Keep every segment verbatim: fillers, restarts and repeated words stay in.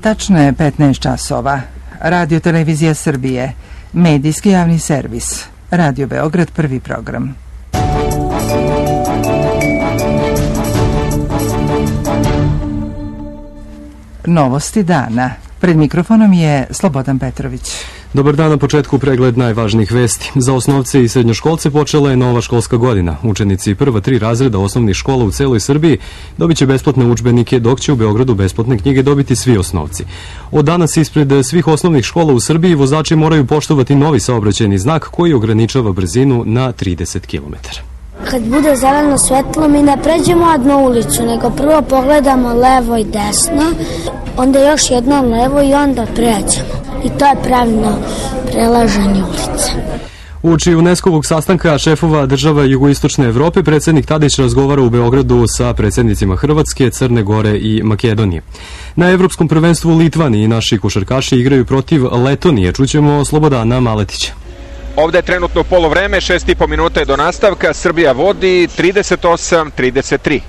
Tačno je petnaest časova. Radio Televizija Srbije, medijski javni servis. Radio Beograd, prvi program. Novosti dana. Pred mikrofonom je Slobodan Petrović. Dobar dan, na početku pregled najvažnijih vesti. Za osnovce i srednjoškolce počela je nova školska godina. Učenici prva tri razreda osnovnih škola u celoj Srbiji dobit će besplatne udžbenike, dok će u Beogradu besplatne knjige dobiti svi osnovci. Od danas ispred svih osnovnih škola u Srbiji vozači moraju poštovati novi saobraćajni znak koji ograničava brzinu na trideset kilometara. Kad bude zeleno svetlo, mi ne pređemo odmah ulicu, nego prvo pogledamo levo i desno, onda još jedno levo i onda pređemo. I to je pravilno prelaženje ulice. Uoči UNESCO-vog sastanka šefova država jugoistočne Evrope, predsjednik Tadić razgovara u Beogradu sa predsjednicima Hrvatske, Crne Gore i Makedonije. Na Evropskom prvenstvu u Litvaniji naši košarkaši igraju protiv Letonije. Čućemo Slobodana Maletića. Ovde je trenutno polovreme, šest i po minuta je do nastavka, Srbija vodi trideset osam trideset tri.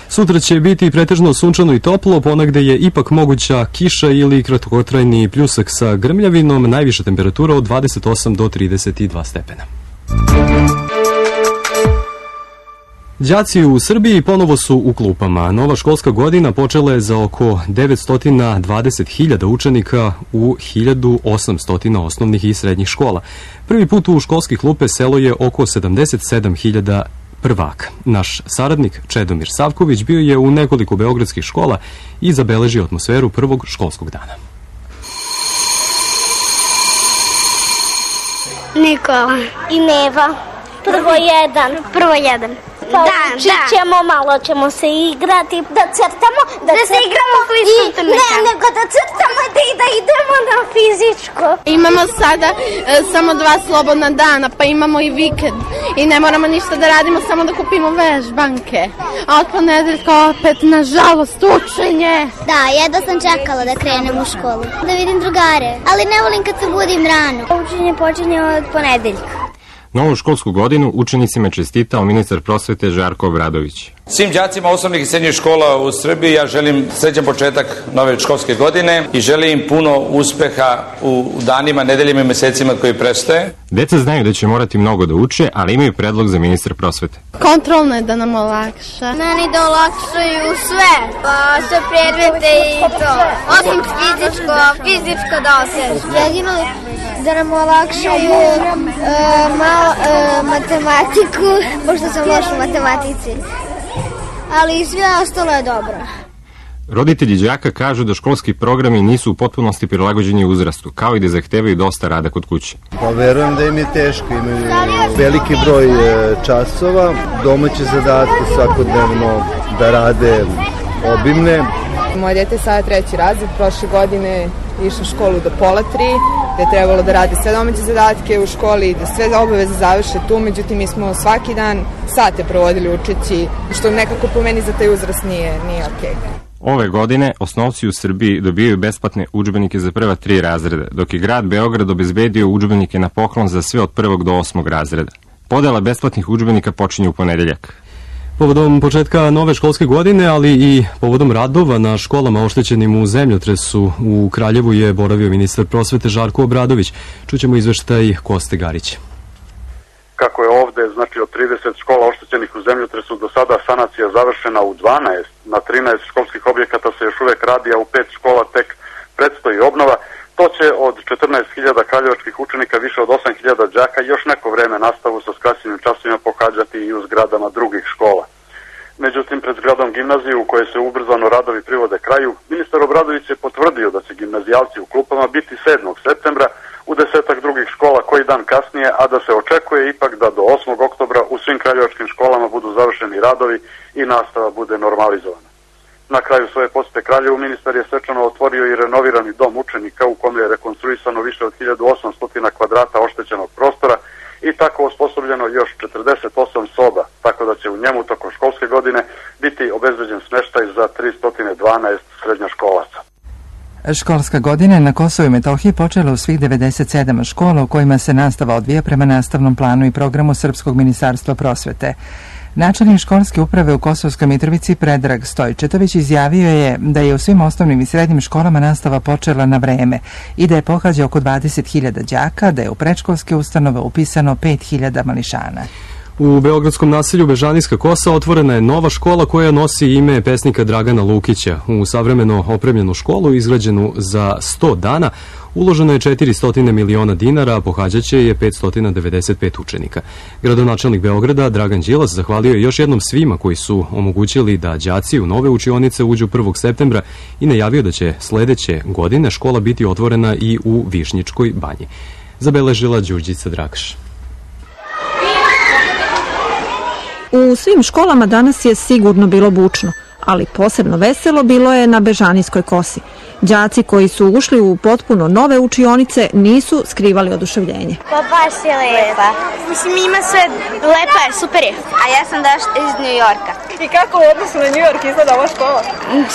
Sutra će biti pretežno sunčano i toplo, ponegde je ipak moguća kiša ili kratkotrajni pljusak sa grmljavinom, najviša temperatura od dvadeset osam do trideset dva stepena. Đaci u Srbiji ponovo su u klupama. Nova školska godina počela je za oko devetsto dvadeset hiljada učenika u hiljadu osamsto osnovnih i srednjih škola. Prvi put u školske klupe selo je oko sedamdeset sedam hiljada prvaka. Naš saradnik Čedomir Savković bio je u nekoliko beogradskih škola i zabeležio atmosferu prvog školskog dana. Nikola i Neva. Prvo jedan. Prvo jedan. Pa da, da. Ćemo, malo ćemo se igrati, da crtamo, da, da se igramo fizičko. Ne, nego da crtamo da, da idemo na fizičko. Imamo sada e, samo dva slobodna dana, pa imamo i vikend. I ne moramo ništa da radimo, samo da kupimo vežbanke. A od ponedeljka opet, nažalost, učenje. Da, jedva sam čekala da krenem u školu. Da vidim drugare, ali ne volim kad se budim rano. Učenje počinje od ponedeljka. Novu školsku godinu učenicima je čestitao ministar prosvete Žarko Obradović. Svim đacima osnovnih i srednjih škola u Srbiji ja želim srećan početak nove školske godine i želim puno uspeha u danima, nedeljima i mesecima koji predstoje. Deca znaju da će morati mnogo da uče, ali imaju predlog za ministra prosvete. Kontrolno je da nam olakša. Meni da olakšaju sve, pa sve predmete i to. Osim fizičko, fizičko da osjećam. Jedino da nam olakšaju uh, malo uh, matematiku, pošto sam loš u matematici. Ali sve ostalo je dobro. Roditelji đaka kažu da školski programi nisu u potpunosti prilagođeni uzrastu, kao i da zahtevaju dosta rada kod kuće. Pa verujem da im je teško, imaju veliki broj časova, domaće zadatke svakodnevno da rade obimne. Moje dete je sada treći razred, prošle godine išao u školu do pola tri, da je trebalo da radi sve domaće zadatke u školi, da sve obaveze završe tu, međutim mi smo svaki dan sate provodili učeći, što nekako po meni za taj uzrast nije, nije okej. Ove godine osnovci u Srbiji dobijaju besplatne udžbenike za prva tri razreda, dok je grad Beograd obezbedio udžbenike na poklon za sve od prvog do osmog razreda. Podela besplatnih udžbenika počinje u ponedeljak. Povodom početka nove školske godine, ali i povodom radova na školama oštećenim u zemljotresu u Kraljevu je boravio ministar prosvete Žarko Obradović. Čućemo izveštaj Koste Garića. Kako je ovde, znači od trideset škola oštećenih u zemljotresu do sada sanacija završena u dvanaest, na trinaest školskih objekata se još uvek radi, a u pet škola tek predstoji obnova. To će od četrnaest hiljada kraljevačkih učenika, više od osam hiljada đaka, još neko vreme nastavu sa skraćenim časovima pohađati i u zgradama drugih škola. Međutim, pred zgradom gimnazije u kojoj se ubrzano radovi privode kraju, ministar Obradović je potvrdio da će gimnazijalci u klupama biti sedmog septembra u desetak drugih škola koji dan kasnije, a da se očekuje ipak da do osmog oktobra u svim kraljevačkim školama budu završeni radovi i nastava bude normalizovana. Na kraju svoje posete Kraljevu ministar je svečano otvorio i renovirani dom učenika u kome je rekonstruisano više od hiljadu osamsto kvadrata oštećenog prostora i tako osposobljeno još četrdeset osam soba, tako da će u njemu tokom školske godine biti obezbeđen smeštaj za tristo dvanaest srednjoškolaca. Školska godina na Kosovu i Metohiji počela u svih devedeset sedam škola u kojima se nastava odvija prema nastavnom planu i programu Srpskog ministarstva prosvete. Načelnik školske uprave u Kosovskoj Mitrovici Predrag Stojčetović izjavio je da je u svim osnovnim i srednjim školama nastava počela na vreme i da je pohađa oko dvadeset hiljada đaka, da je u predškolske ustanove upisano pet hiljada mališana. U beogradskom naselju Bežanijska Kosa otvorena je nova škola koja nosi ime pesnika Dragana Lukića. U savremeno opremljenu školu izgrađenu za sto dana uloženo je četiristo miliona dinara, a pohađaće je petsto devedeset pet učenika. Gradonačelnik Beograda Dragan Đilas zahvalio je još jednom svima koji su omogućili da đaci u nove učionice uđu prvog septembra i najavio da će sledeće godine škola biti otvorena i u Višnjičkoj banji. Zabeležila Đurđica Drakaš. U svim školama danas je sigurno bilo bučno, ali posebno veselo bilo je na Bežanijskoj Kosi. Đaci koji su ušli u potpuno nove učionice nisu skrivali oduševljenje. Pa baš je lepa. Mislim, ima sve lepa je, super je. A ja sam došla iz New Yorka. I kako u odnosu na New York izgleda ova škola?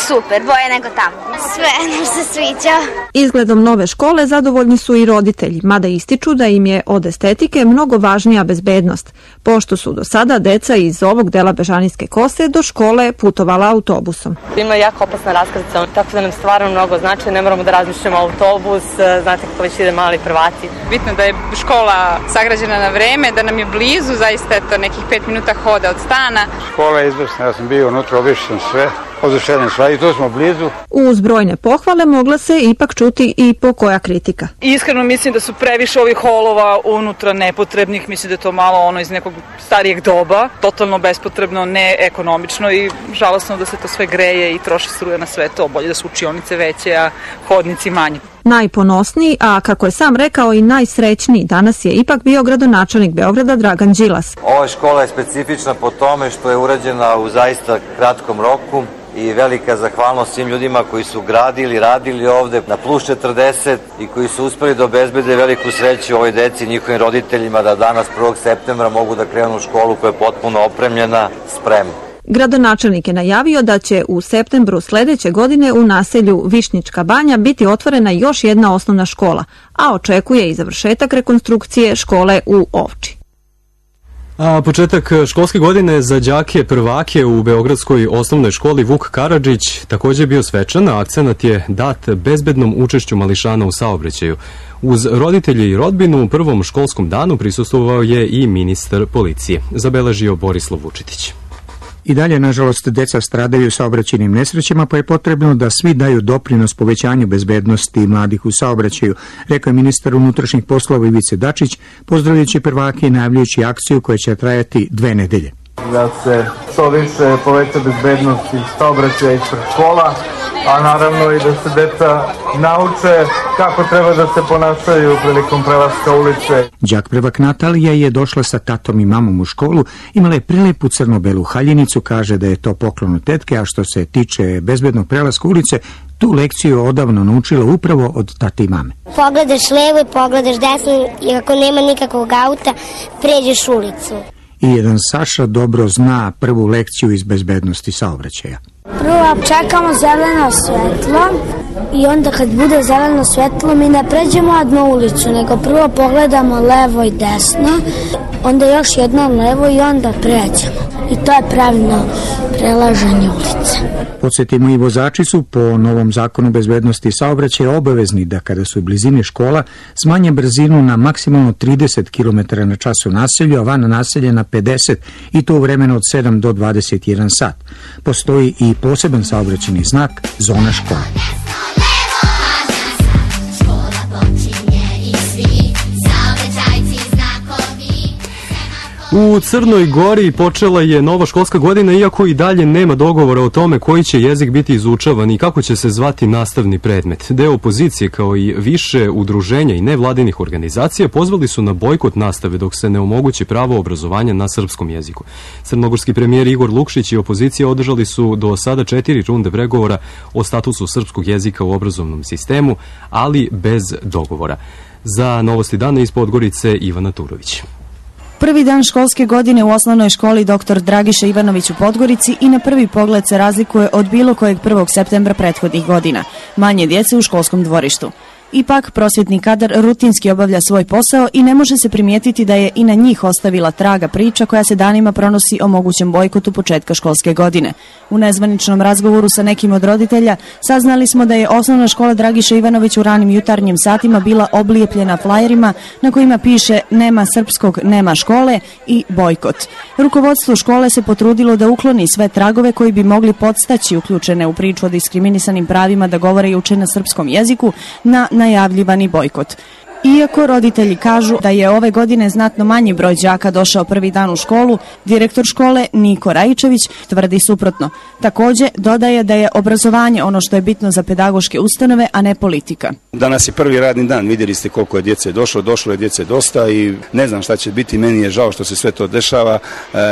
Super, bolje nego tamo. Sve nam se sviđa. Izgledom nove škole zadovoljni su i roditelji, mada ističu da im je od estetike mnogo važnija bezbednost, pošto su do sada deca iz ovog dela Bežanijske Kose do škole putovala autobusom. Ima jako opasna raskrsnica, tako da nam stvarno mnogo znači, ne moramo da razmišljamo autobus, znate kako već ide mali prvaci. Bitno da je škola sagrađena na vreme, da nam je blizu, zaista je to nekih pet minuta hoda od stana. Škola je izvrsna, ja sam bio unutra, obišao sam sve, oduševljen sva i tu smo blizu. Uz brojne pohvale mogla se ipak čuti i po koja kritika. Iskreno mislim da su previše ovih holova unutra nepotrebnih, mislim da je to malo ono iz nekog starijeg doba, totalno bespotrebno, neekonomično i žalosno da se to sve greje i troši struje na sve to, bolje da su učionice veće, a hodnici manji. Najponosniji, a kako je sam rekao i najsrećniji, danas je ipak bio gradonačelnik Beograda Dragan Đilas. Ova škola je specifična po tome što je urađena u zaista kratkom roku i velika zahvalnost svim ljudima koji su gradili, radili ovde na plus četrdeset i koji su uspeli da obezbede veliku sreću ovoj deci i njihovim roditeljima da danas prvog septembra mogu da krenu u školu koja je potpuno opremljena, spremna. Gradonačelnik je najavio da će u septembru sledeće godine u naselju Višnjička banja biti otvorena još jedna osnovna škola, a očekuje i završetak rekonstrukcije škole u Ovči. A početak školske godine za đake prvake u beogradskoj osnovnoj školi Vuk Karadžić takođe je bio svečan, a akcenat je dat bezbednom učešću mališana u saobraćaju. Uz roditelje i rodbinu u prvom školskom danu prisustvovao je i ministar policije, zabeležio Borislav Vučitić. I dalje, nažalost, deca stradaju saobraćajnim nesrećama, pa je potrebno da svi daju doprinos povećanju bezbednosti mladih u saobraćaju, rekao je ministar unutrašnjih poslova Ivica Dačić, pozdravljajući prvake i najavljujući akciju koja će trajati dve nedelje. Da se što više poveća bezbednost iz saobraćaja ispred škola, a naravno i da se deca nauče kako treba da se ponašaju prilikom prelaska ulice. Đak prvak Natalija je došla sa tatom i mamom u školu, imala je prelepu crno-belu haljinicu, kaže da je to poklon od tetke, a što se tiče bezbednog prelaska ulice, tu lekciju odavno naučila upravo od tate i mame. Pogledaš levo i pogledaš desno i ako nema nikakvog auta, pređeš ulicu. I jedan Saša dobro zna prvu lekciju iz bezbednosti saobraćaja. Prvo čekamo zeleno svetlo i onda kad bude zeleno svetlo mi ne pređemo odmah ulicu, nego prvo pogledamo levo i desno, onda još jedno levo i onda pređemo. I to je pravilno prelaženje ulice. Podsjetimo, i vozači su po novom zakonu bezbednosti saobraćaja obavezni da kada su u blizini škola smanje brzinu na maksimalno trideset kilometara na čas u naselju, a van naselja na pedeset i to u vremenu od sedam do dvadeset jedan sat. Postoji i poseban saobraćajni znak zona škola. U Crnoj Gori počela je nova školska godina, iako i dalje nema dogovora o tome koji će jezik biti izučavan i kako će se zvati nastavni predmet. Deo opozicije kao i više udruženja i nevladinih organizacija pozvali su na bojkot nastave dok se ne omogući pravo obrazovanja na srpskom jeziku. Crnogorski premijer Igor Lukšić i opozicija održali su do sada četiri runde pregovora o statusu srpskog jezika u obrazovnom sistemu, ali bez dogovora. Za Novosti dana iz Podgorice Ivana Turović. Prvi dan školske godine u osnovnoj školi doktor Dragiša Ivanović u Podgorici i na prvi pogled se razlikuje od bilo kojeg prvog septembra prethodnih godina. Manje djece u školskom dvorištu. Ipak, prosvjetni kadar rutinski obavlja svoj posao i ne može se primijetiti da je i na njih ostavila traga priča koja se danima pronosi o mogućem bojkotu početka školske godine. U nezvaničnom razgovoru sa nekim od roditelja saznali smo da je osnovna škola Dragiša Ivanović u ranim jutarnjim satima bila oblijepljena flajerima na kojima piše "Nema srpskog, nema škole" i bojkot. Rukovodstvo škole se potrudilo da ukloni sve tragove koji bi mogli podstaći uključene u priču o diskriminisanim pravima da govore i uče na srpskom jeziku na najavljivani bojkot. Iako roditelji kažu da je ove godine znatno manji broj đaka došao prvi dan u školu, direktor škole Niko Rajičević tvrdi suprotno. Takođe, dodaje da je obrazovanje ono što je bitno za pedagoške ustanove, a ne politika. Danas je prvi radni dan, vidjeli ste koliko je djece došlo, došlo je djece dosta i ne znam šta će biti, meni je žao što se sve to dešava.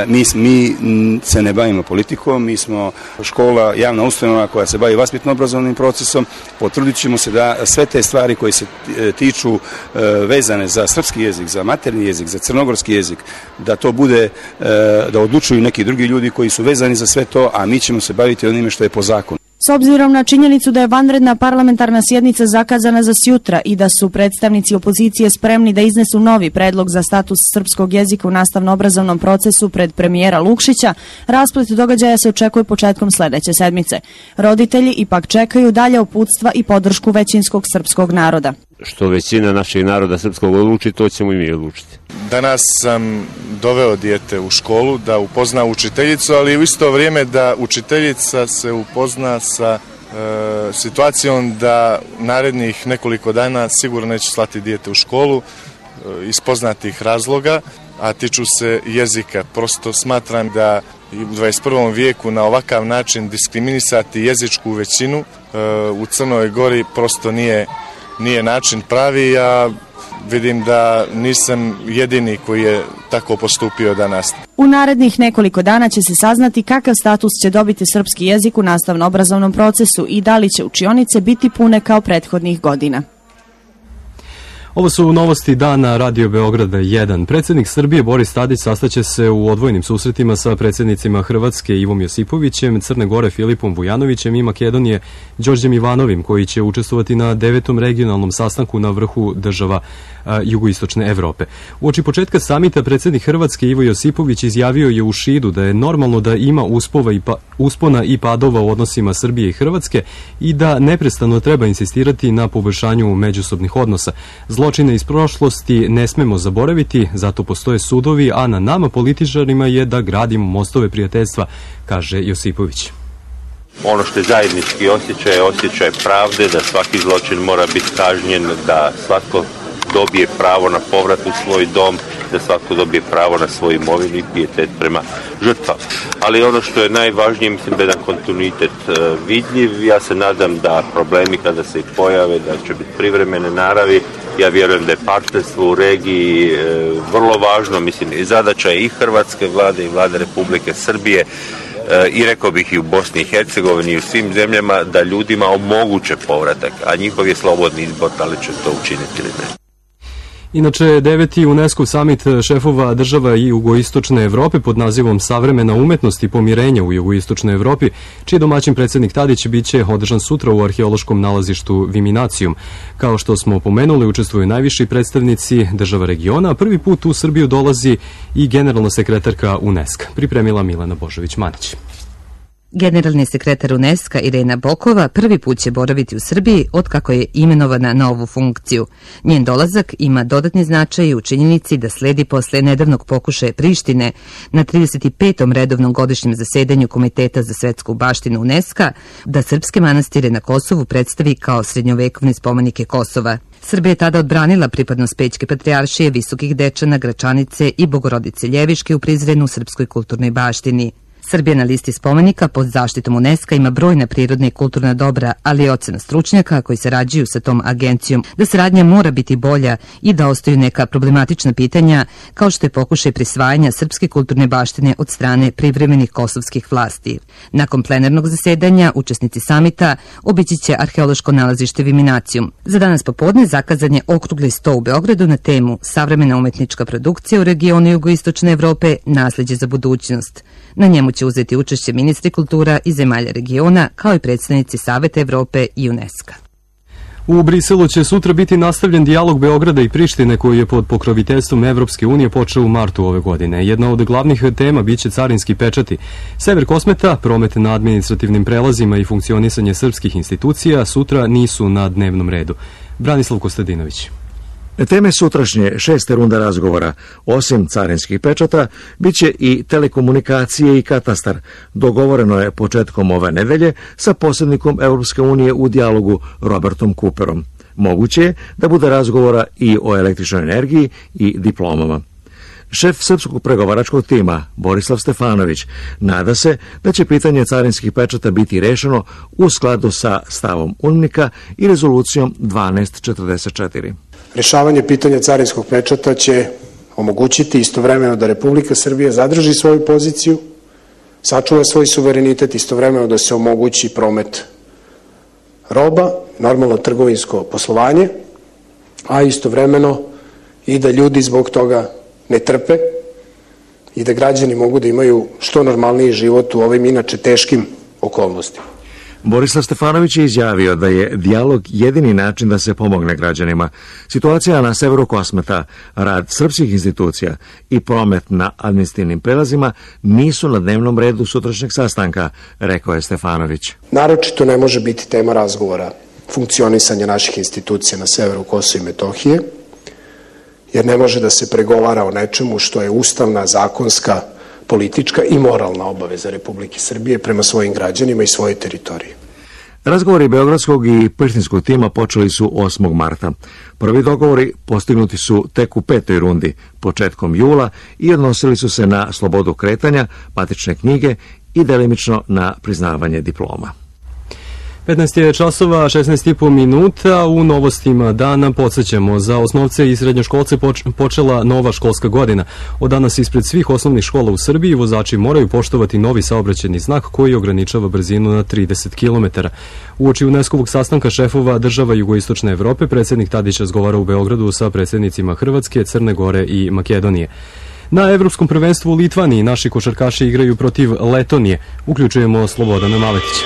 Mi, mi se ne bavimo politikom, mi smo škola, javna ustanova koja se bavi vaspitno-obrazovnim procesom, potrudit ćemo se da sve te stvari koje se tiču vezane za srpski jezik, za materni jezik, za crnogorski jezik, da to bude, da odlučuju neki drugi ljudi koji su vezani za sve to, a mi ćemo se baviti onime što je po zakonu. S obzirom na činjenicu da je vanredna parlamentarna sjednica zakazana za sjutra i da su predstavnici opozicije spremni da iznesu novi predlog za status srpskog jezika u nastavno-obrazovnom procesu pred premijera Lukšića, rasplet događaja se očekuje početkom sledeće sedmice. Roditelji ipak čekaju dalje uputstva i podršku većinskog srpskog naroda. Što većina našeg naroda srpskog odluči, to ćemo i mi odlučiti. Danas sam doveo dijete u školu da upozna učiteljicu, ali u isto vrijeme da učiteljica se upozna sa e, situacijom da narednih nekoliko dana sigurno neće slati dijete u školu e, iz poznatih razloga, a tiču se jezika. Prosto smatram da u dvadeset prvom vijeku na ovakav način diskriminisati jezičku većinu e, u Crnoj Gori prosto nije, nije način pravi, a vidim da nisam jedini koji je tako postupio danas. U narednih nekoliko dana će se saznati kakav status će dobiti srpski jezik u nastavno-obrazovnom procesu i da li će učionice biti pune kao prethodnih godina. Ovo su novosti dana Radio Beograda jedan. Predsjednik Srbije Boris Tadić sastaće se u odvojenim susretima sa predsjednicima Hrvatske Ivom Josipovićem, Crne Gore Filipom Vujanovićem i Makedonije Đorđem Ivanovim, koji će učestvovati na devetom regionalnom sastanku na vrhu država a, jugoistočne Evrope. Uoči početka samita predsjednik Hrvatske Ivo Josipović izjavio je u Šidu da je normalno da ima uspova i pa, uspona i padova u odnosima Srbije i Hrvatske i da neprestano treba insistirati na poboljšanju međusobnih odnosa. Zločine iz prošlosti ne smemo zaboraviti, zato postoje sudovi, a na nama političarima je da gradimo mostove prijateljstva, kaže Josipović. Ono što je zajednički osjećaj, osjećaj pravde, da svaki zločin mora biti kažnjen, da svako dobije pravo na povrat u svoj dom, da svako dobije pravo na svoju imovinu i pijetet prema žrtvama. Ali ono što je najvažnije, mislim da je jedan kontinuitet vidljiv. Ja se nadam da problemi kada se pojave, da će biti privremene naravi. Ja vjerujem da je partnerstvo u regiji vrlo važno, mislim i zadaća je i Hrvatske vlade i vlade Republike Srbije i rekao bih i u Bosni i Hercegovini i u svim zemljama da ljudima omoguće povratak, a njihov je slobodni izbor da li će to učiniti ili ne. Inače, deveti UNESCO samit šefova država i jugoistočne Evrope pod nazivom Savremena umetnost i pomirenja u jugoistočnoj Evropi, čiji domaćin predsjednik Tadić biće održan sutra u arheološkom nalazištu Viminacijum. Kao što smo pomenuli, učestvuju najviši predstavnici država regiona, a prvi put u Srbiju dolazi i generalna sekretarka UNESCO. Pripremila Milena Božović-Manić. Generalni sekretar UNESCO Irena Bokova prvi put će boraviti u Srbiji otkako je imenovana na ovu funkciju. Njen dolazak ima dodatni značaj u činjenici da sledi posle nedavnog pokušaja Prištine na trideset petom redovnom godišnjem zasedanju Komiteta za svetsku baštinu UNESCO da srpske manastire na Kosovu predstavi kao srednjovekovne spomenike Kosova. Srbija je tada odbranila pripadnost Pećke patrijaršije, Visokih Dečana, Gračanice i Bogorodice Ljeviške u Prizrenu u srpskoj kulturnoj baštini. Srbija na listi spomenika pod zaštitom UNESCO ima brojna prirodna i kulturna dobra, ali je ocena stručnjaka koji sarađuju sa tom agencijom da saradnja mora biti bolja i da ostaju neka problematična pitanja, kao što je pokušaj prisvajanja srpske kulturne baštine od strane privremenih kosovskih vlasti. Nakon plenarnog zasedanja, učesnici samita obići će arheološko nalazište Viminacijum. Za danas popodne zakazan je okrugli sto u Beogradu na temu Savremena umetnička produkcija u regionu jugoistočne Evrope, nasleđe za budućnost. Na njemu će uzeti učešće ministri kultura i zemalja regiona, kao i predstavnici Saveta Evrope i UNESCO. U Briselu će sutra biti nastavljen dijalog Beograda i Prištine koji je pod pokroviteljstvom Evropske unije počeo u martu ove godine. Jedna od glavnih tema biće carinski pečati. Sever Kosmeta, promet na administrativnim prelazima i funkcionisanje srpskih institucija sutra nisu na dnevnom redu. Branislav Kostadinović. Teme sutrašnje šeste runda razgovora, osim carinskih pečata, bit će i telekomunikacije i katastar. Dogovoreno je početkom ove nedelje sa posrednikom Europske unije u dijalogu Robertom Cooperom. Moguće je da bude razgovora i o električnoj energiji i diplomama. Šef srpskog pregovaračkog tima, Borislav Stefanović, nada se da će pitanje carinskih pečata biti rešeno u skladu sa stavom UNMNIK-a i rezolucijom dvanaest četrdeset četiri. Rešavanje pitanja carinskog pečata će omogućiti istovremeno da Republika Srbija zadrži svoju poziciju, sačuva svoj suverenitet, istovremeno da se omogući promet roba, normalno trgovinsko poslovanje, a istovremeno i da ljudi zbog toga ne trpe i da građani mogu da imaju što normalniji život u ovim inače teškim okolnostima. Borislav Stefanović je izjavio da je dijalog jedini način da se pomogne građanima. Situacija na severu Kosmeta, rad srpskih institucija i promet na administrativnim prelazima nisu na dnevnom redu sutrašnjeg sastanka, rekao je Stefanović. Naročito ne može biti tema razgovora funkcionisanja naših institucija na severu Kosova i Metohije, jer ne može da se pregovara o nečemu što je ustavna, zakonska, politička i moralna obaveza Republike Srbije prema svojim građanima i svojoj teritoriji. Razgovori beogradskog i prištinskog tima počeli su osmog marta. Prvi dogovori postignuti su tek u petoj rundi, početkom jula, i odnosili su se na slobodu kretanja, matične knjige i delimično na priznavanje diploma. petnaest je časova, šesnaest i po minuta. U novostima dana podsjećamo, za osnovce i srednjoškolce počela nova školska godina. Od danas ispred svih osnovnih škola u Srbiji vozači moraju poštovati novi saobraćajni znak koji ograničava brzinu na trideset kilometara. Uoči UNESCO-vog sastanka šefova država jugoistočne Evrope, predsjednik Tadić razgovara u Beogradu sa predsjednicima Hrvatske, Crne Gore i Makedonije. Na Evropskom prvenstvu u Litvaniji naši košarkaši igraju protiv Letonije. Uključujemo Slobodana Maletića.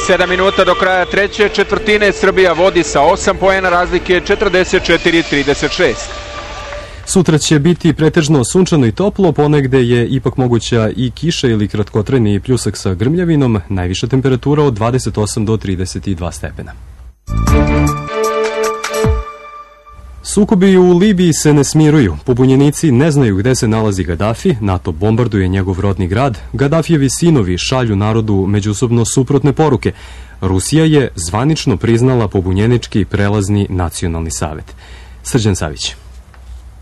Sedam minuta do kraja treće četvrtine, Srbija vodi sa osam poena razlike, četrdeset četiri trideset šest. Sutra će biti pretežno sunčano i toplo, ponegde je ipak moguća i kiša ili kratkotrajni pljusak sa grmljavinom, najviša temperatura od dvadeset osam do trideset dva stepena. Sukobi u Libiji se ne smiruju. Pobunjenici ne znaju gde se nalazi Gadafi, NATO bombarduje njegov rodni grad, Gadafijevi sinovi šalju narodu međusobno suprotne poruke. Rusija je zvanično priznala pobunjenički prelazni nacionalni savet. Srđan Savić.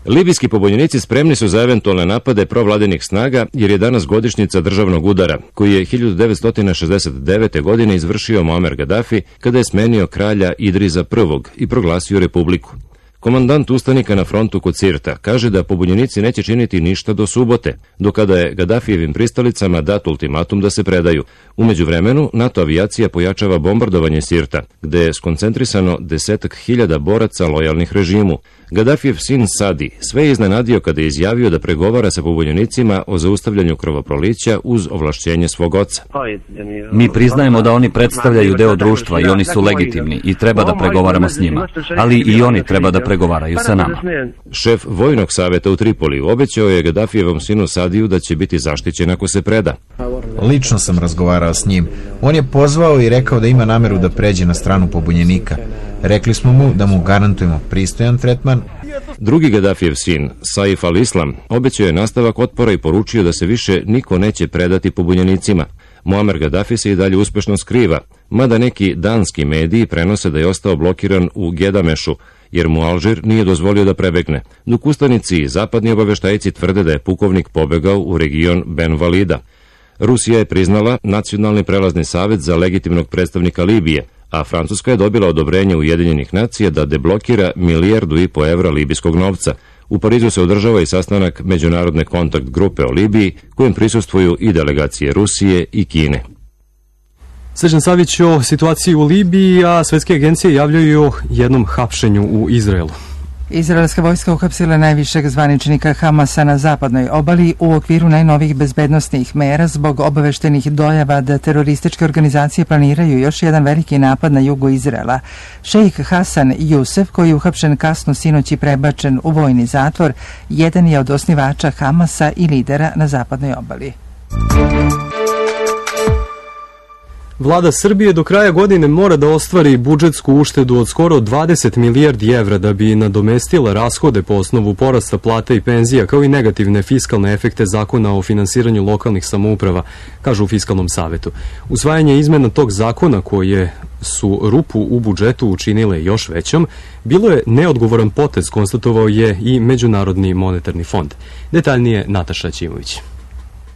Libijski pobunjenici spremni su za eventualne napade provladinih snaga jer je danas godišnjica državnog udara, koji je hiljadu devetsto šezdeset devete. godine izvršio Muamer Gadafi kada je smenio kralja Idriza prvog. i proglasio republiku. Komandant ustanika na frontu kod Sirta kaže da pobunjenici neće činiti ništa do subote, do kada je Gadafijevim pristalicama dat ultimatum da se predaju. U međuvremenu, NATO avijacija pojačava bombardovanje Sirta, gde je skoncentrisano desetak hiljada boraca lojalnih režimu. Gadafijev sin Sadi sve je iznenadio kada je izjavio da pregovara sa pobunjenicima o zaustavljanju krvoprolića uz ovlašćenje svog oca. Mi priznajemo da oni predstavljaju deo društva i oni su legitimni i treba da pregovaramo s njima, ali i oni treba da pregovaraju sa nama. Šef vojnog saveta u Tripoliju obećao je Gadafijevom sinu Sadiju da će biti zaštićen ako se preda. Lično sam razgovarao s njim. On je pozvao i rekao da ima nameru da pređe na stranu pobunjenika. Rekli smo mu da mu garantujemo pristojan tretman. Drugi Gadafijev sin, Saif al-Islam, obećao je nastavak otpora i poručio da se više niko neće predati pobunjenicima. Muamer Gadafi se i dalje uspešno skriva, mada neki danski mediji prenose da je ostao blokiran u Gedamešu, jer mu Alžir nije dozvolio da prebegne, dok ustanici i zapadni obaveštajci tvrde da je pukovnik pobegao u region Ben Valida. Rusija je priznala Nacionalni prelazni savet za legitimnog predstavnika Libije, a Francuska je dobila odobrenje Ujedinjenih nacija da deblokira milijardu i po evra libijskog novca. U Parizu se održava i sastanak Međunarodne kontakt grupe o Libiji, kojem prisustvuju i delegacije Rusije i Kine. Srđan Savić o situaciji u Libiji, a svetske agencije javljaju o jednom hapšenju u Izraelu. Izraelska vojska uhapsila najvišeg zvaničnika Hamasa na zapadnoj obali u okviru najnovih bezbednosnih mera zbog obaveštenih dojava da terorističke organizacije planiraju još jedan veliki napad na jugu Izraela. Šejh Hasan Jusef, koji je uhapšen kasno sinoć i prebačen u vojni zatvor, jedan je od osnivača Hamasa i lidera na zapadnoj obali. Vlada Srbije do kraja godine mora da ostvari budžetsku uštedu od skoro dvadeset milijardi evra da bi nadomestila rashode po osnovu porasta plata i penzija, kao i negativne fiskalne efekte zakona o finansiranju lokalnih samouprava, kažu u Fiskalnom savetu. Usvajanje izmena tog zakona, koje su rupu u budžetu učinile još većom, bilo je neodgovoran potez, konstatovao je i Međunarodni monetarni fond. Detaljnije Nataša Ćimović.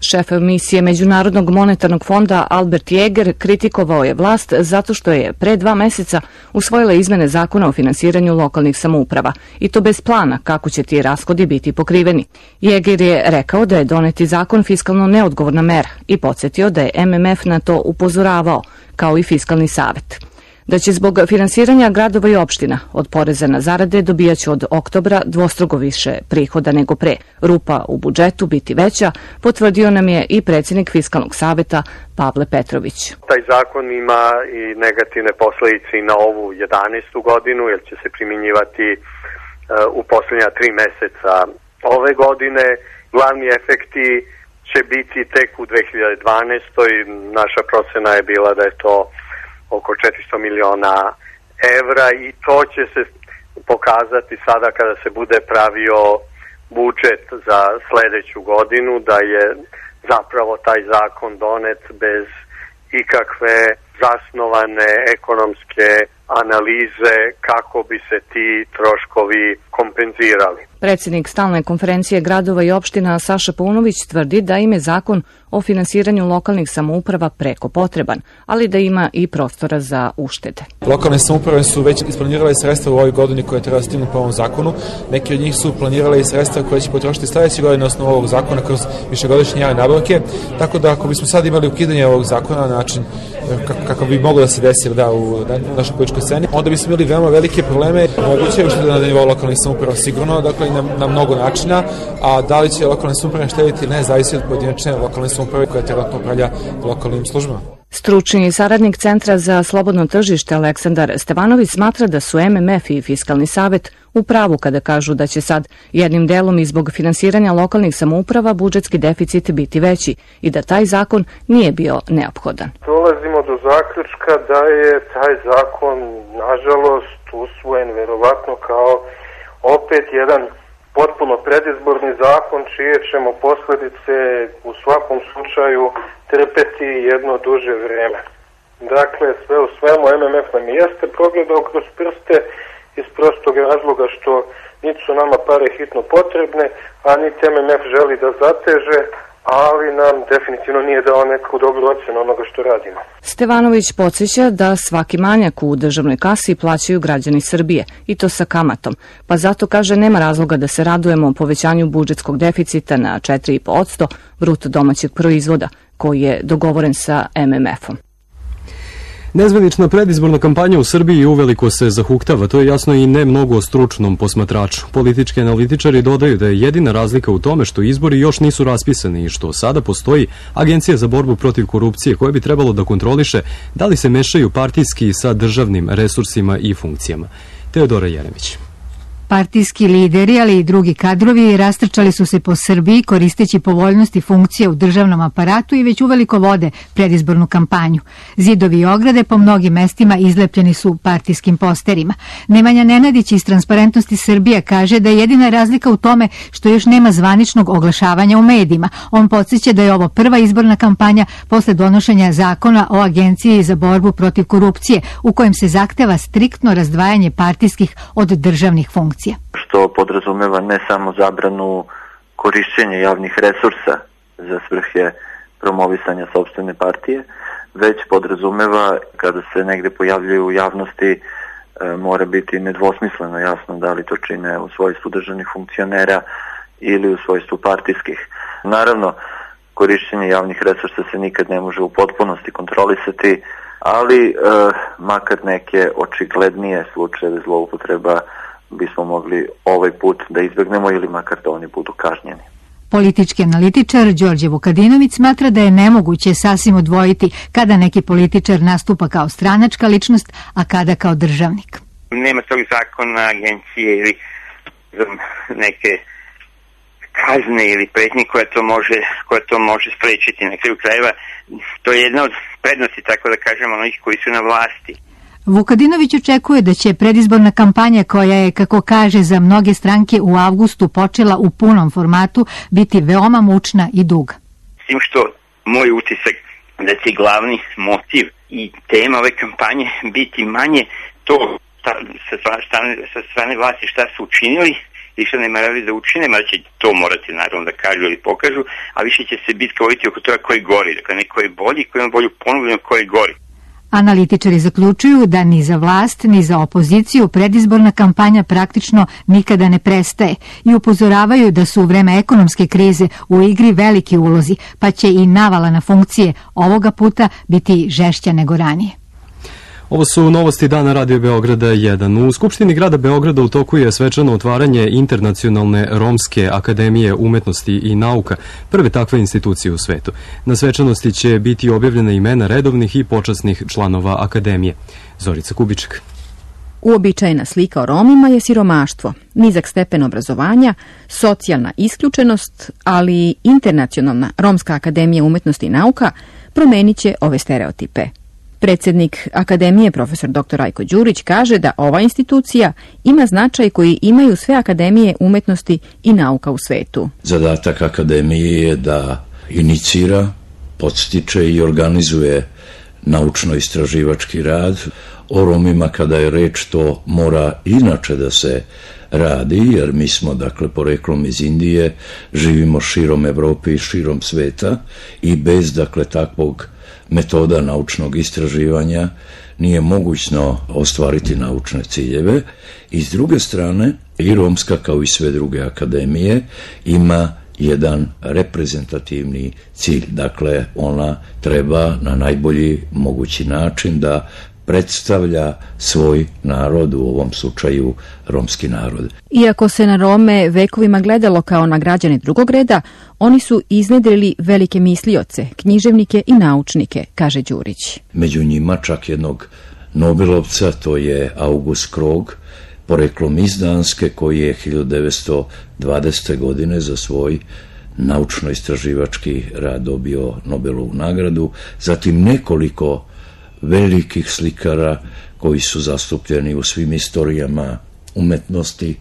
Šef misije Međunarodnog monetarnog fonda Albert Jäger kritikovao je vlast zato što je pre dva meseca usvojila izmene zakona o finansiranju lokalnih samouprava, i to bez plana kako će ti rashodi biti pokriveni. Jäger je rekao da je doneti zakon fiskalno neodgovorna mera i podsjetio da je M M F na to upozoravao, kao i Fiskalni savet. Da će zbog finansiranja gradova i opština od poreza na zarade dobijaće od oktobra dvostruko više prihoda nego pre, rupa u budžetu biti veća, potvrdio nam je i predsjednik Fiskalnog saveta Pavle Petrović. Taj zakon ima i negativne posledice i na ovu jedanaestu godinu, jer će se primjenjivati uh, u posljednja tri meseca ove godine. Glavni efekti će biti tek u dve hiljade dvanaestoj. Naša procena je bila da je to oko četiristo miliona evra i to će se pokazati sada kada se bude pravio budžet za sledeću godinu, da je zapravo taj zakon donet bez ikakve zasnovane ekonomske analize kako bi se ti troškovi kompenzirali. Predsjednik Stalne konferencije gradova i opština Saša Paunović tvrdi da im je zakon o finansiranju lokalnih samouprava preko potreban, ali da ima i prostora za uštede. Lokalne samouprave su već isplanirale sredstva u ovoj godini koje treba stignu po ovom zakonu. Neki od njih su planirale i sredstva koje će potrošiti sledeće godine na osnovu ovog zakona kroz višegodišnje javne nabavke. Tako da ako bismo sad imali ukidanje ovog zakona na način kako bi moglo da se desi da u našoj političkoj sceni, onda bismo imali veoma velike probleme. Moguće je uštede na nivou lokalnih samouprava sigurno, dakle na, na mnogo načina, a da li će lokalne samouprave štediti, ne, zavisi od pojedinačne lokalne samouprave koja trenutno upravlja lokalnim službama. Stručni saradnik Centra za slobodno tržište Aleksandar Stevanović smatra da su M M F i Fiskalni savet u pravu kada kažu da će sad jednim delom i zbog finansiranja lokalnih samouprava budžetski deficit biti veći i da taj zakon nije bio neophodan. Dolazimo do zaključka da je taj zakon nažalost usvojen verovatno kao opet jedan potpuno predizborni zakon čije ćemo posljedice u svakom slučaju trpeti jedno duže vreme. Dakle, sve u svemu M M F nam jeste progledao kroz prste iz prostog razloga što niti su nama pare hitno potrebne, a niti M M F želi da zateže, ali nam definitivno nije dao neku dobru ocenu onoga što radimo. Stevanović podsjeća da svaki manjak u državnoj kasi plaćaju građani Srbije, i to sa kamatom, pa zato kaže nema razloga da se radujemo povećanju budžetskog deficita na četiri i po posto bruto domaćeg proizvoda, koji je dogovoren sa M M F-om. Nezvanična predizborna kampanja u Srbiji uveliko se zahuktava, to je jasno i ne mnogo stručnom posmatraču. Politički analitičari dodaju da je jedina razlika u tome što izbori još nisu raspisani i što sada postoji Agencija za borbu protiv korupcije koja bi trebalo da kontroliše da li se mešaju partijski sa državnim resursima i funkcijama. Teodora Jeremić. Partijski lideri, ali i drugi kadrovi rastrčali su se po Srbiji koristeći povoljnosti funkcije u državnom aparatu i već uveliko vode predizbornu kampanju. Zidovi i ograde po mnogim mestima izlepljeni su partijskim posterima. Nemanja Nenadić iz Transparentnosti Srbija kaže da je jedina razlika u tome što još nema zvaničnog oglašavanja u medijima. On podsjeća da je ovo prva izborna kampanja posle donošenja zakona o Agenciji za borbu protiv korupcije, u kojem se zahteva striktno razdvajanje partijskih od državnih funkcija. Što podrazumeva ne samo zabranu korišćenja javnih resursa za svrhe promovisanja sopstvene partije, već podrazumeva kada se negde pojavljaju u javnosti e, mora biti nedvosmisleno jasno da li to čine u svojstvu državnih funkcionera ili u svojstvu partijskih. Naravno, korišćenje javnih resursa se nikad ne može u potpunosti kontrolisati, ali e, makar neke očiglednije slučajeve zloupotreba bismo mogli ovaj put da izbegnemo ili makar da oni budu kažnjeni. Politički analitičar Đorđe Vukadinović smatra da je nemoguće sasvim odvojiti kada neki političar nastupa kao stranačka ličnost, a kada kao državnik. Nema tog zakona, agencije ili neke kazne ili pretnje koja to može, koja to može sprečiti. Na kraju krajeva to je jedna od prednosti, tako da kažemo, onih koji su na vlasti. Vukadinović očekuje da će predizborna kampanja koja je, kako kaže, za mnoge stranke u avgustu počela u punom formatu biti veoma mučna i duga. S tim što moj utisak da će glavni motiv i tema ove kampanje biti manje to ta, sa, strane, sa strane vlasti šta su učinili i šta ne morali da učine, mada će to morati naravno da kažu ili pokažu, a više će se bitka voditi oko toga ko je gori, dakle neko je bolji, ko ima bolju ponudu, ko je gori. Analitičari zaključuju da ni za vlast, ni za opoziciju predizborna kampanja praktično nikada ne prestaje i upozoravaju da su u vreme ekonomske krize u igri veliki ulozi, pa će i navala na funkcije ovoga puta biti žešća nego ranije. Ovo su novosti dana Radio Beograda jedan. U Skupštini grada Beograda u toku je svečano otvaranje Internacionalne Romske akademije umetnosti i nauka, prve takve institucije u svetu. Na svečanosti će biti objavljena imena redovnih i počasnih članova akademije. Zorica Kubiček. Uobičajena slika o Romima je siromaštvo, nizak stepen obrazovanja, socijalna isključenost, ali i Internacionalna Romska akademija umetnosti i nauka promenit će ove stereotipe. Predsjednik Akademije, profesor doktor Rajko Đurić, kaže da ova institucija ima značaj koji imaju sve akademije umetnosti i nauka u svetu. Zadatak akademije je da inicira, podstiče i organizuje naučno-istraživački rad. O Romima kada je reč, to mora inače da se radi, jer mi smo dakle poreklom iz Indije, živimo širom Evrope i širom sveta i bez dakle takvog metoda naučnog istraživanja nije mogućno ostvariti naučne ciljeve. I s druge strane, i Romska kao i sve druge akademije ima jedan reprezentativni cilj. Dakle, ona treba na najbolji mogući način da predstavlja svoj narod, u ovom slučaju romski narod. Iako se na Rome vekovima gledalo kao na građane drugog reda, oni su iznedrili velike mislioce, književnike i naučnike, kaže Đurić. Među njima čak jednog Nobelovca, to je August Krog, poreklom iz Danske, koji je hiljadu devetsto dvadesete. godine za svoj naučno-istraživački rad dobio Nobelovu nagradu, zatim nekoliko velikih slikara koji su zastupljeni u svim istorijama umetnosti.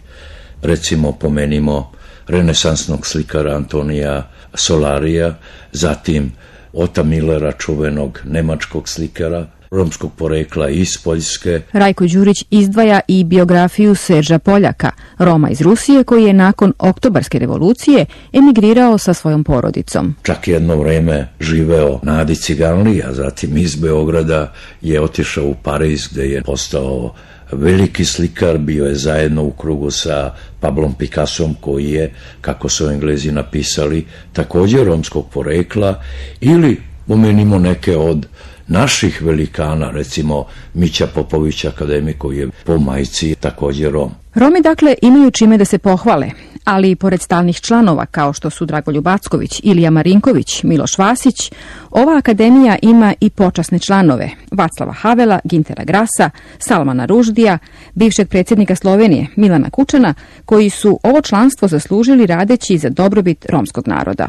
Recimo pomenimo renesansnog slikara Antonija Solarija, zatim Ota Millera, čuvenog nemačkog slikara romskog porekla iz Poljske. Rajko Đurić izdvaja i biografiju Serža Poljaka, Roma iz Rusije koji je nakon Oktobarske revolucije emigrirao sa svojom porodicom. Čak jedno vreme živeo na Adi Ciganliji, a zatim iz Beograda je otišao u Pariz gde je postao veliki slikar, bio je zajedno u krugu sa Pablom Picassom koji je, kako su Englezi napisali, također romskog porekla, ili pomenimo neke od naših velikana, recimo Mića Popović, akademik koji je po majci također Rom. Romi dakle imaju čime da se pohvale, ali i pored stalnih članova kao što su Dragoljub Acković, Ilija Marinković, Miloš Vasić, ova akademija ima i počasne članove Vaclava Havela, Gintera Grasa, Salmana Ruždija, bivšeg predsjednika Slovenije Milana Kučana, koji su ovo članstvo zaslužili radeći za dobrobit romskog naroda.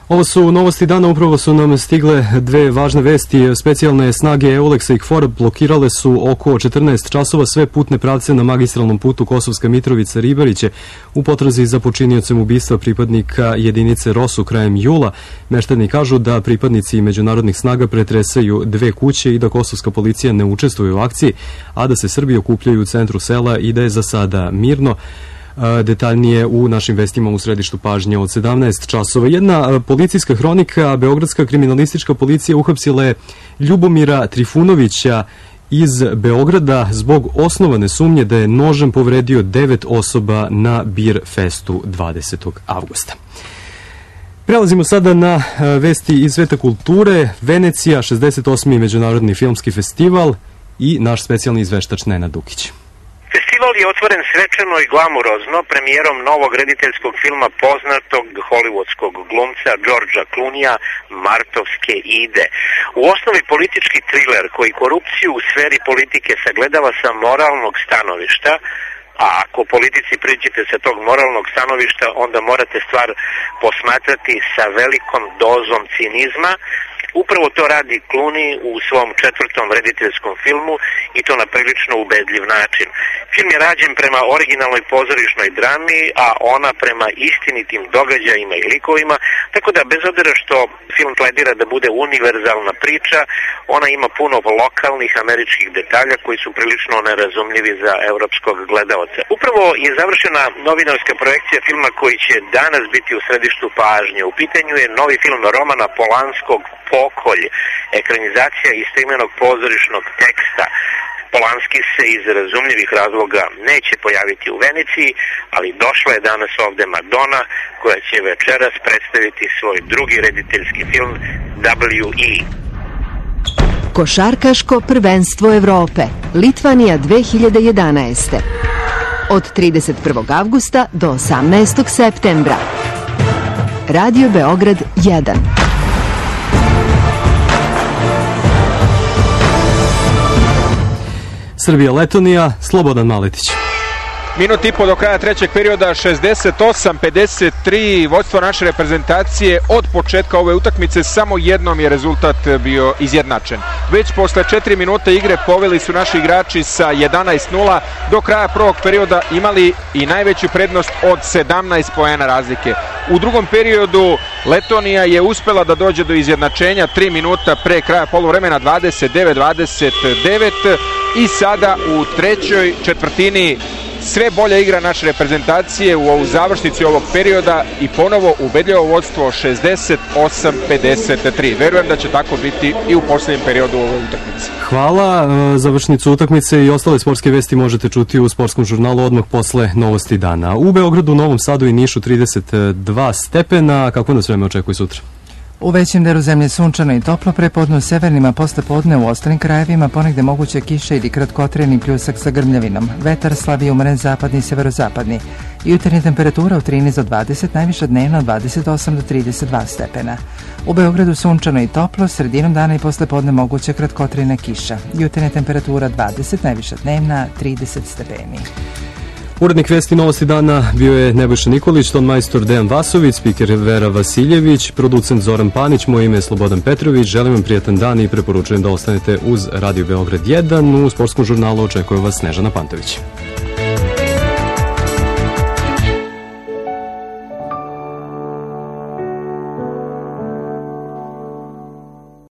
Ovo su novosti dana, upravo su nam stigle dve važne vesti. Specijalne snage Euleksa i KFOR blokirale su oko četrnaest časova sve putne pravce na magistralnom putu Kosovska Mitrovica-Ribariće u potrazi za počiniocem ubistva pripadnika jedinice Rosu krajem jula. Meštani kažu da pripadnici međunarodnih snaga pretresaju dve kuće i da kosovska policija ne učestvuje u akciji, a da se Srbi okupljaju u centru sela i da je za sada mirno. Detaljnije u našim vestima u središtu pažnje od sedamnaest časova. Jedna policijska hronika, Beogradska kriminalistička policija uhapsila je Ljubomira Trifunovića iz Beograda zbog osnovane sumnje da je nožem povredio devet osoba na Bir festu dvadesetog avgusta. Prelazimo sada na vesti iz sveta kulture. Venecija, šezdeset osmi Međunarodni filmski festival i naš specijalni izveštač Nenad Dukić. Festival Festival je otvoren svečano i glamurozno premijerom novog rediteljskog filma poznatog hollywoodskog glumca Georgea Clooneyja Martovske ide. U osnovi politički triler koji korupciju u sferi politike sagledava sa moralnog stanovišta, a ako politici priđete sa tog moralnog stanovišta, onda morate stvar posmatrati sa velikom dozom cinizma. Upravo to radi Clooney u svom četvrtom rediteljskom filmu i to na prilično ubedljiv način. Film je rađen prema originalnoj pozorišnoj drami, a ona prema istinitim događajima i likovima, tako da bez obzira što film pledira da bude univerzalna priča, ona ima puno lokalnih američkih detalja koji su prilično nerazumljivi za evropskog gledaoca. Upravo je završena novinarska projekcija filma koji će danas biti u središtu pažnje. U pitanju je novi film Romana Polanskog Pokolj, ekranizacija istoimenog pozorišnog teksta. Polanski se iz razumljivih razloga neće pojaviti u Veneciji, ali došla je danas ovde Madonna, koja će večeras predstaviti svoj drugi rediteljski film W E. Košarkaško prvenstvo Evrope, Litvanija dve hiljade jedanaeste. Od trideset prvog avgusta do osamnaestog septembra. Radio Beograd jedan. Srbija-Letonija, Slobodan Maletić. Minut i po do kraja trećeg perioda, šezdeset osam pedeset tri, vodstvo naše reprezentacije. Od početka ove utakmice samo jednom je rezultat bio izjednačen. Već posle četiri minuta igre poveli su naši igrači sa jedanaest nula, do kraja prvog perioda imali i najveću prednost od sedamnaest poena razlike. U drugom periodu Letonija je uspela da dođe do izjednačenja tri minuta pre kraja poluvremena, dvadeset devet dvadeset devet, i sada u trećoj četvrtini sve bolja igra naše reprezentacije u ovu završnici ovog perioda i ponovo ubedljivo vodstvo šezdeset osam pedeset tri. Verujem da će tako biti i u posljednjem periodu u ovoj utakmici. Hvala. Završnicu utakmice i ostale sportske vesti možete čuti u sportskom žurnalu odmah posle novosti dana. U Beogradu, Novom Sadu i Nišu trideset dva stepena. Kako nas vreme očekuje sutra? U većem delu zemlje sunčano i toplo, prepodne u severnim, a posle podne u ostalim krajevima ponegde moguće kiše ili kratkotrajni pljusak sa grmljavinom. Vetar slabiji umeren zapadni i severozapadni. Jutarnja temperatura od trinaest do dvadeset, najviša dnevna od dvadeset osam do trideset dva stepena. U Beogradu sunčano i toplo, sredinom dana i posle podne moguće kratkotrajna kiša. Jutarnja temperatura dvadeset, najviša dnevna trideset stepeni. Urednik vesti novosti dana bio je Nebojša Nikolić, ton majstor Dejan Vasović, spiker Vera Vasiljević, producent Zoran Panić, moje ime je Slobodan Petrović. Želim vam prijatan dan i preporučujem da ostanete uz Radio Beograd jedan. U sportskom žurnalu očekuje vas Snežana Pantović.